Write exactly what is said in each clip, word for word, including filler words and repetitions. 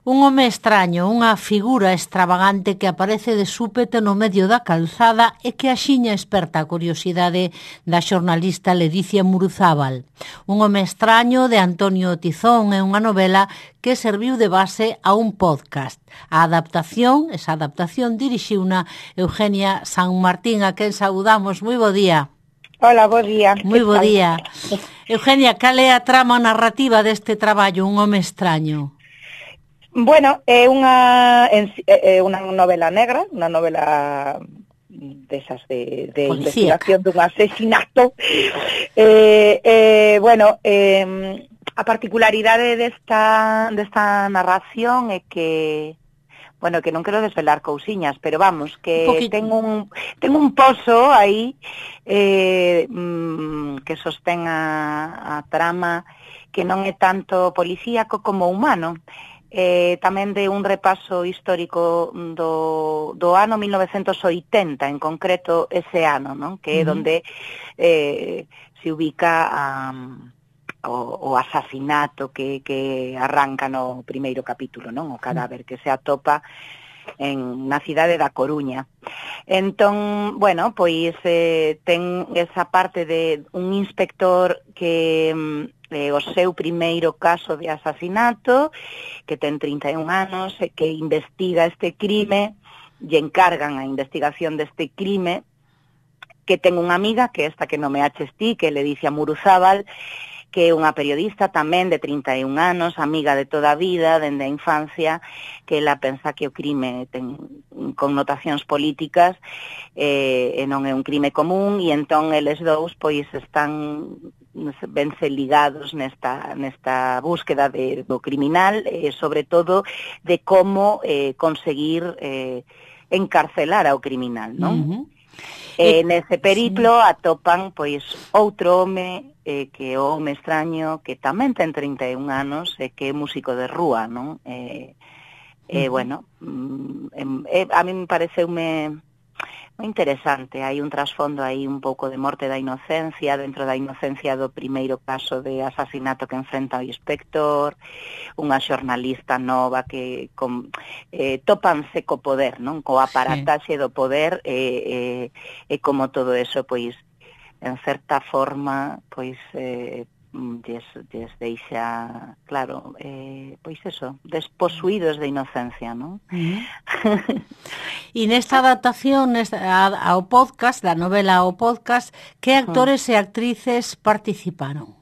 Un home extraño, unha figura extravagante que aparece de súpete no medio da calzada e que axiña esperta a curiosidade da xornalista Ledicia Muruzábal. Un home extraño de Antonio Tizón é unha novela que serviu de base a un podcast. A adaptación, esa adaptación dirixiuna Eugenia San Martín, a quen saudamos. Moi bo día. Hola, bo día. Moi bo día. Eugenia, cal é a trama narrativa deste traballo, Un home extraño? Bueno, é unha é unha novela negra, unha novela desas de, de investigación dun asesinato. Eh, eh, bueno, eh, a particularidade desta, desta narración é que, bueno, que non quero desvelar cousiñas, pero vamos, que ten un, ten un pozo aí eh, mm, que sostén a, a trama, que non é tanto policíaco como humano. Eh, tamén de un repaso histórico do, do ano mil novecentos oitenta, en concreto ese ano, non? Que é uh-huh. donde eh, se ubica um, o, o asasinato que, que arranca no primeiro capítulo, non? O cadáver que se atopa en na cidade da Coruña. Entón, bueno, pois eh, ten esa parte de un inspector que eh, o seu primeiro caso de asasinato, que ten trinta e un anos, e que investiga este crime, e encargan a investigación deste crime, que ten unha amiga, que esta que non me aches ti, que é Ledicia Muruzábal, que é unha periodista tamén de trinta e un anos, amiga de toda a vida, dende a infancia, que ela pensa que o crime ten connotacións políticas eh, e non é un crime común, e entón eles dous pois están vense ligados nesta, nesta búsqueda de, do criminal, e eh, sobre todo de como eh, conseguir eh, encarcelar ao criminal, non? Uh-huh. E eh, nese periplo sí. atopan pois outro home eh, que é o home extraño, que tamén ten trinta e un anos e que é músico de rúa, non? E eh, uh-huh. eh, bueno, eh, a mí me pareceume moi interesante, hai un trasfondo aí un pouco de morte da inocencia, dentro da inocencia do primeiro caso de asasinato que enfrenta o inspector, unha xornalista nova que con, eh, topanse co poder, non? Co aparataxe sí. do poder e eh, eh, eh, como todo eso, pois, en certa forma, pois, eh, Des, des deixa, claro, eh, pois eso, desposuídos de inocencia, non? Uh-huh. E nesta adaptación nesta, ao podcast, da novela ao podcast, que actores uh-huh. e actrices participaron?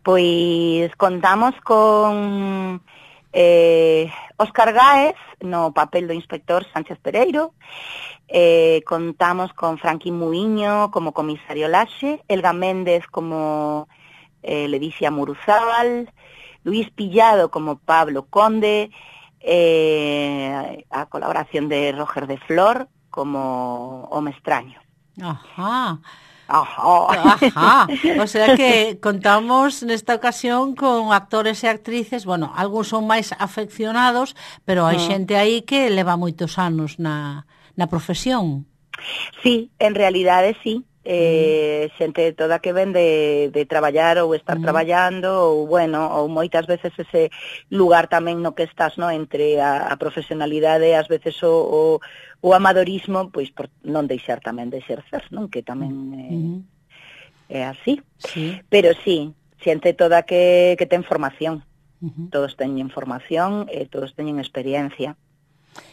Pois contamos con eh, Óscar Gáez no papel do inspector Sánchez Pereiro, eh, contamos con Franqui Muiño como comisario Laxe, Elga Méndez como Eh, Ledicia Muruzábal, Luis Pillado como Pablo Conde, eh, a colaboración de Roger de Flor como home extraño. Ajá. Ajá. Ajá. O sea que contamos nesta ocasión con actores e actrices, bueno, algúns son máis afeccionados, pero hai mm. xente aí que leva moitos anos na, na profesión. Sí, en realidade sí. Eh, xente toda que ven de, de traballar ou estar mm. traballando ou, bueno, ou moitas veces ese lugar tamén no que estás, no, entre a, a profesionalidade e ás veces o, o, o amadorismo, pois por non deixar tamén de exercer, non? Que tamén é, mm. é así. Sí. Pero sí, xente toda que, que ten formación. Mm-hmm. Todos teñen formación e todos teñen experiencia.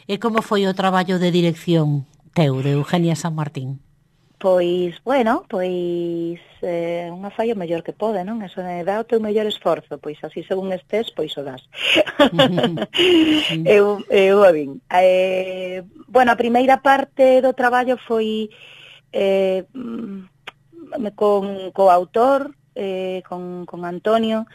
E como foi o traballo de dirección teu, de Eugenia San Martín? Pois, bueno, pois eh, unha falla mellor que pode, non? Eso é dá o teu mellor esforzo, pois así según estés, pois o das. eu, eu a vin. Eh, bueno, a primeira parte do traballo foi eh, con co autor, eh, con, con Antonio.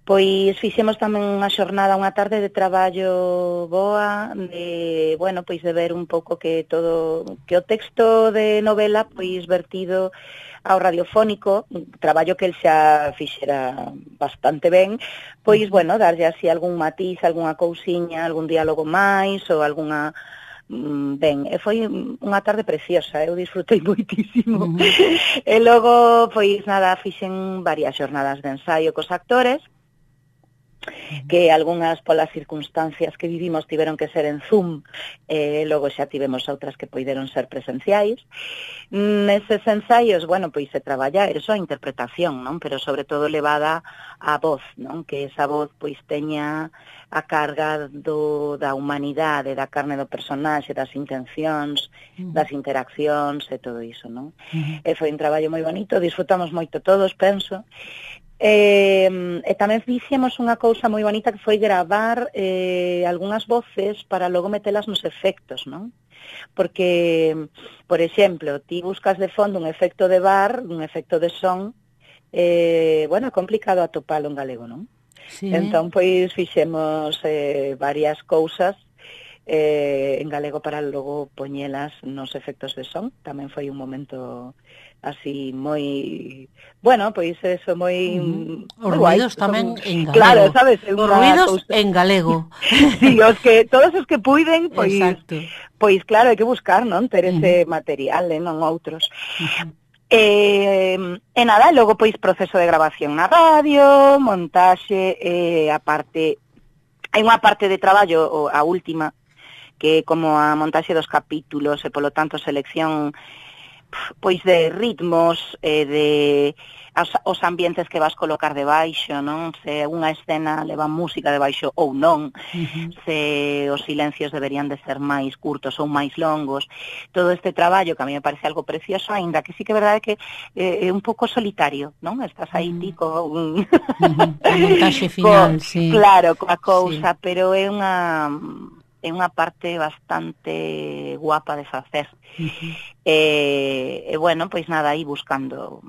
Pois fixemos tamén unha xornada, unha tarde de traballo boa, de, bueno, pois de ver un pouco que todo, que o texto de novela, pois vertido ao radiofónico, un traballo que el xa fixera bastante ben, pois, bueno, darlle así algún matiz, algunha cousiña, algún diálogo máis, ou algunha... Ben, e foi unha tarde preciosa, eu disfrutei moitísimo. Uh-huh. E logo, pois nada, fixen varias xornadas de ensaio cos actores, que algunhas polas circunstancias que vivimos tiveron que ser en Zoom, e logo xa tivemos outras que poideron ser presenciais. Neses ensaios, bueno, pois se traballa eso, a interpretación, non? Pero sobre todo levada á voz, non? Que esa voz pois teña a carga do, da humanidade, da carne do personaxe, das intencións, uh-huh. das interaccións e todo iso, non? Uh-huh. E foi un traballo moi bonito, disfrutamos moito todos, penso. E, e tamén fixemos unha cousa moi bonita que foi gravar eh, algunhas voces para logo metelas nos efectos, non? Porque, por exemplo, ti buscas de fondo un efecto de bar, un efecto de son, eh, bueno, é complicado atopalo en galego, non? Sí. Entón, pois, fixemos eh, varias cousas eh, en galego para logo poñelas nos efectos de son. Tamén foi un momento así moi, bueno, pois eso moi uh-huh. Os ruidos tamén son, en galego. Claro, sabes, os ruidos cousa. En galego. Sí, os que todos os que puiden, pois Exacto. Pois claro, hai que buscar, non, ter ese uh-huh. material, eh, non outros. Uh-huh. Eh, e nada, logo pois proceso de grabación na radio, montaxe, eh, a parte hai unha parte de traballo, a última, que como a montaxe dos capítulos e polo tanto selección pois de ritmos, eh, de as, os ambientes que vas colocar debaixo, non? Se unha escena leva música debaixo ou non, uh-huh. se os silencios deberían de ser máis curtos ou máis longos. Todo este traballo que a mí me parece algo precioso, aínda que sí que é verdade que eh, é un pouco solitario, non? Estás aí uh-huh. ti co un uh-huh. a montaxe final, co, sí. Claro, coa cousa, sí. Pero é unha é unha parte bastante guapa de facer. Uh-huh. E, e, bueno, pois nada, aí buscando,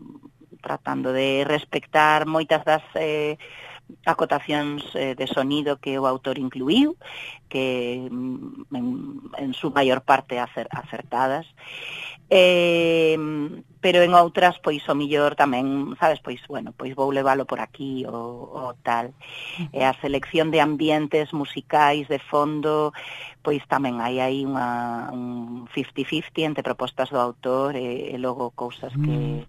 tratando de respectar moitas das eh, acotacións eh, de sonido que o autor incluíu, que en, en su maior parte acer, acertadas. Eh, pero en outras, pois, o millor tamén, sabes, pois, bueno, pois vou levalo por aquí ou, ou tal. E a selección de ambientes musicais de fondo, pois tamén hai aí unha, un cincuenta cincuenta entre propostas do autor e, e logo cousas que,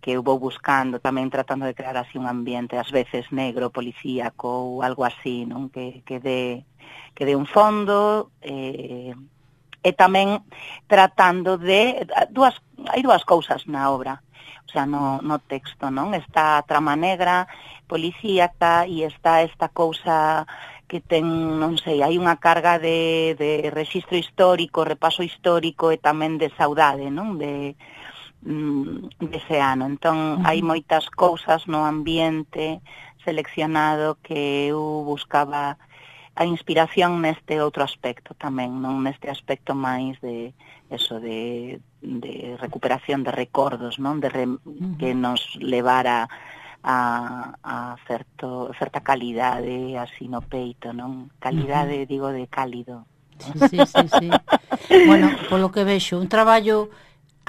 que eu vou buscando, tamén tratando de crear así un ambiente, ás veces negro, policíaco ou algo así, non? Que, que, de, que de un fondo... Eh, e tamén tratando de dúas, hai dúas cousas na obra, o sea, no, no texto, non? Está a trama negra, policíaca, e está esta cousa que ten, non sei, hai unha carga de, de rexistro histórico, repaso histórico e tamén de saudade, non? De, de ese ano. Entón, uh-huh. hai moitas cousas no ambiente seleccionado que eu buscaba a inspiración neste outro aspecto tamén, non neste aspecto máis de eso de, de recuperación de recordos, non, de re, uh-huh. que nos levara a, a certo, certa calidade así no peito, non? Calidade, uh-huh. digo, de cálido. Sí, sí, sí. Bueno, polo que vexo, un traballo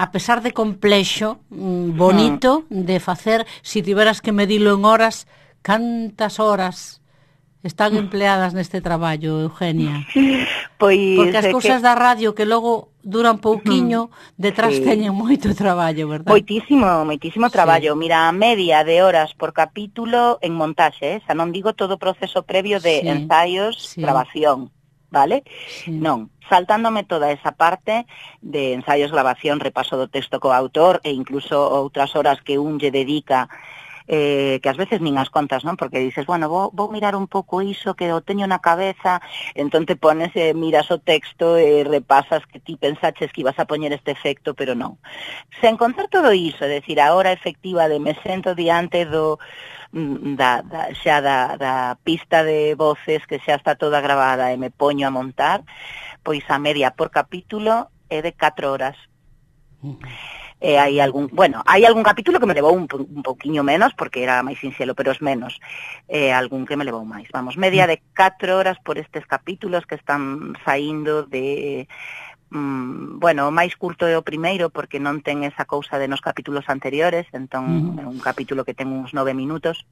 a pesar de complexo, bonito, uh-huh. de facer, si tiveras que medilo en horas, cantas horas están empleadas neste traballo, Eugenia? Pois porque as cousas que... da radio que logo duran pouquiño, detrás sí. teñen moito traballo, verdad? Moitísimo, moitísimo traballo. Sí. Mira, a media de horas por capítulo en montaxe, eh? Xa non digo todo o proceso previo de sí. ensaios, sí. grabación, vale? Sí. Non, saltándome toda esa parte de ensaios, grabación, repaso do texto co autor e incluso outras horas que un lle dedica eh, que ás veces nin as contas, non? Porque dices, bueno, vou, vou mirar un pouco iso que o teño na cabeza, entón te pones e eh, miras o texto e eh, repasas que ti pensaches que ibas a poñer este efecto, pero non. Se encontrar todo iso, é dicir, a hora efectiva de me sento diante do da, da, xa da, da pista de voces que xa está toda grabada e me poño a montar, pois a media por capítulo é de catro horas. Eh, hai algún, bueno, hai algún capítulo que me levou un, un pouquiño menos porque era máis sinxelo, pero os menos. Eh, algún que me levou máis. Vamos, media de catro horas por estes capítulos que están saindo de mm, bueno, o máis curto é o primeiro porque non ten esa cousa de nos capítulos anteriores, entón é uh-huh. un capítulo que ten uns nove minutos.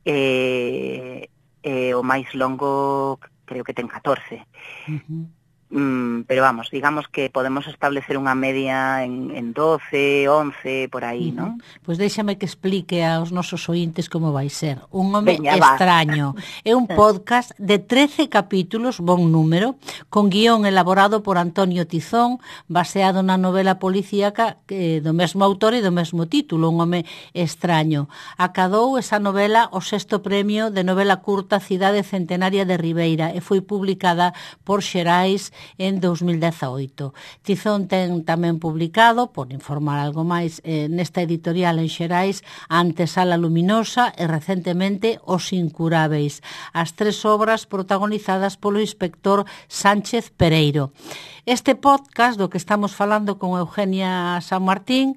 Eh, eh, o máis longo creo que ten catorce. Uh-huh. Mm, pero vamos, digamos que podemos establecer unha media en, en doce, once, por aí, uh-huh. non? Pois déxame que explique aos nosos ointes como vai ser. Un home Veña, extraño. É un podcast de trece capítulos, bon número, con guión elaborado por Antonio Tizón, baseado na novela policíaca eh, do mesmo autor e do mesmo título, Un home extraño. Acadou esa novela o sexto premio de novela curta Cidade Centenaria de Ribeira e foi publicada por Xerais en dos mil dezaoito. Tizón ten tamén publicado, por informar algo máis, eh, nesta editorial en Xerais, Antesala Luminosa e recentemente Os Incurábeis, as tres obras protagonizadas polo inspector Sánchez Pereiro. Este podcast do que estamos falando con Eugenia San Martín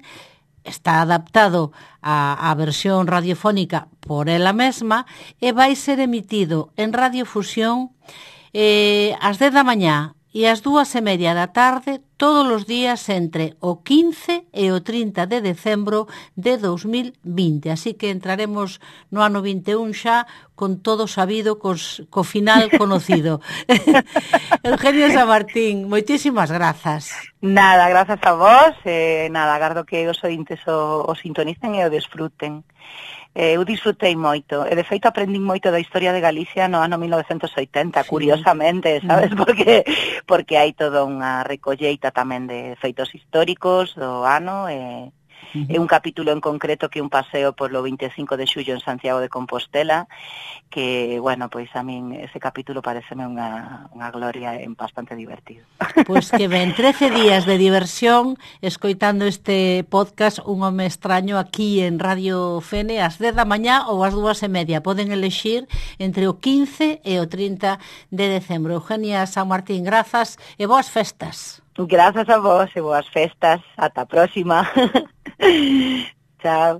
está adaptado á, á versión radiofónica por ela mesma e vai ser emitido en Radiofusión eh, ás dez da mañá e ás dúas e media da tarde todos os días entre o quince e o trinta de decembro de dos mil vinte. Así que entraremos no ano vinte e un xa con todo sabido, cos, co final conocido. Eugenia San Martín, moitísimas grazas. Nada, grazas a vos. Eh, nada, agardo que os ointes o, o sintonicen e o desfruten. Eh, eu disfrutei moito, e de feito aprendín moito da historia de Galicia no ano mil novecentos oitenta, sí. Curiosamente, sabes, porque porque hai toda unha recolleita tamén de feitos históricos do ano, e Uh-huh. É un capítulo en concreto que un paseo polo vinte e cinco de xullo en Santiago de Compostela, que, bueno, pois a min ese capítulo pareceme unha, unha gloria e bastante divertido. Pois que ben, trece días de diversión escoitando este podcast Un home extraño aquí en Radio Fene ás dez da mañá ou ás dúas e media. Poden elexir entre o quince e o trinta de decembro. Eugenia San Martín, grazas e boas festas. Grazas a vos e boas festas. Ata a próxima. Chao.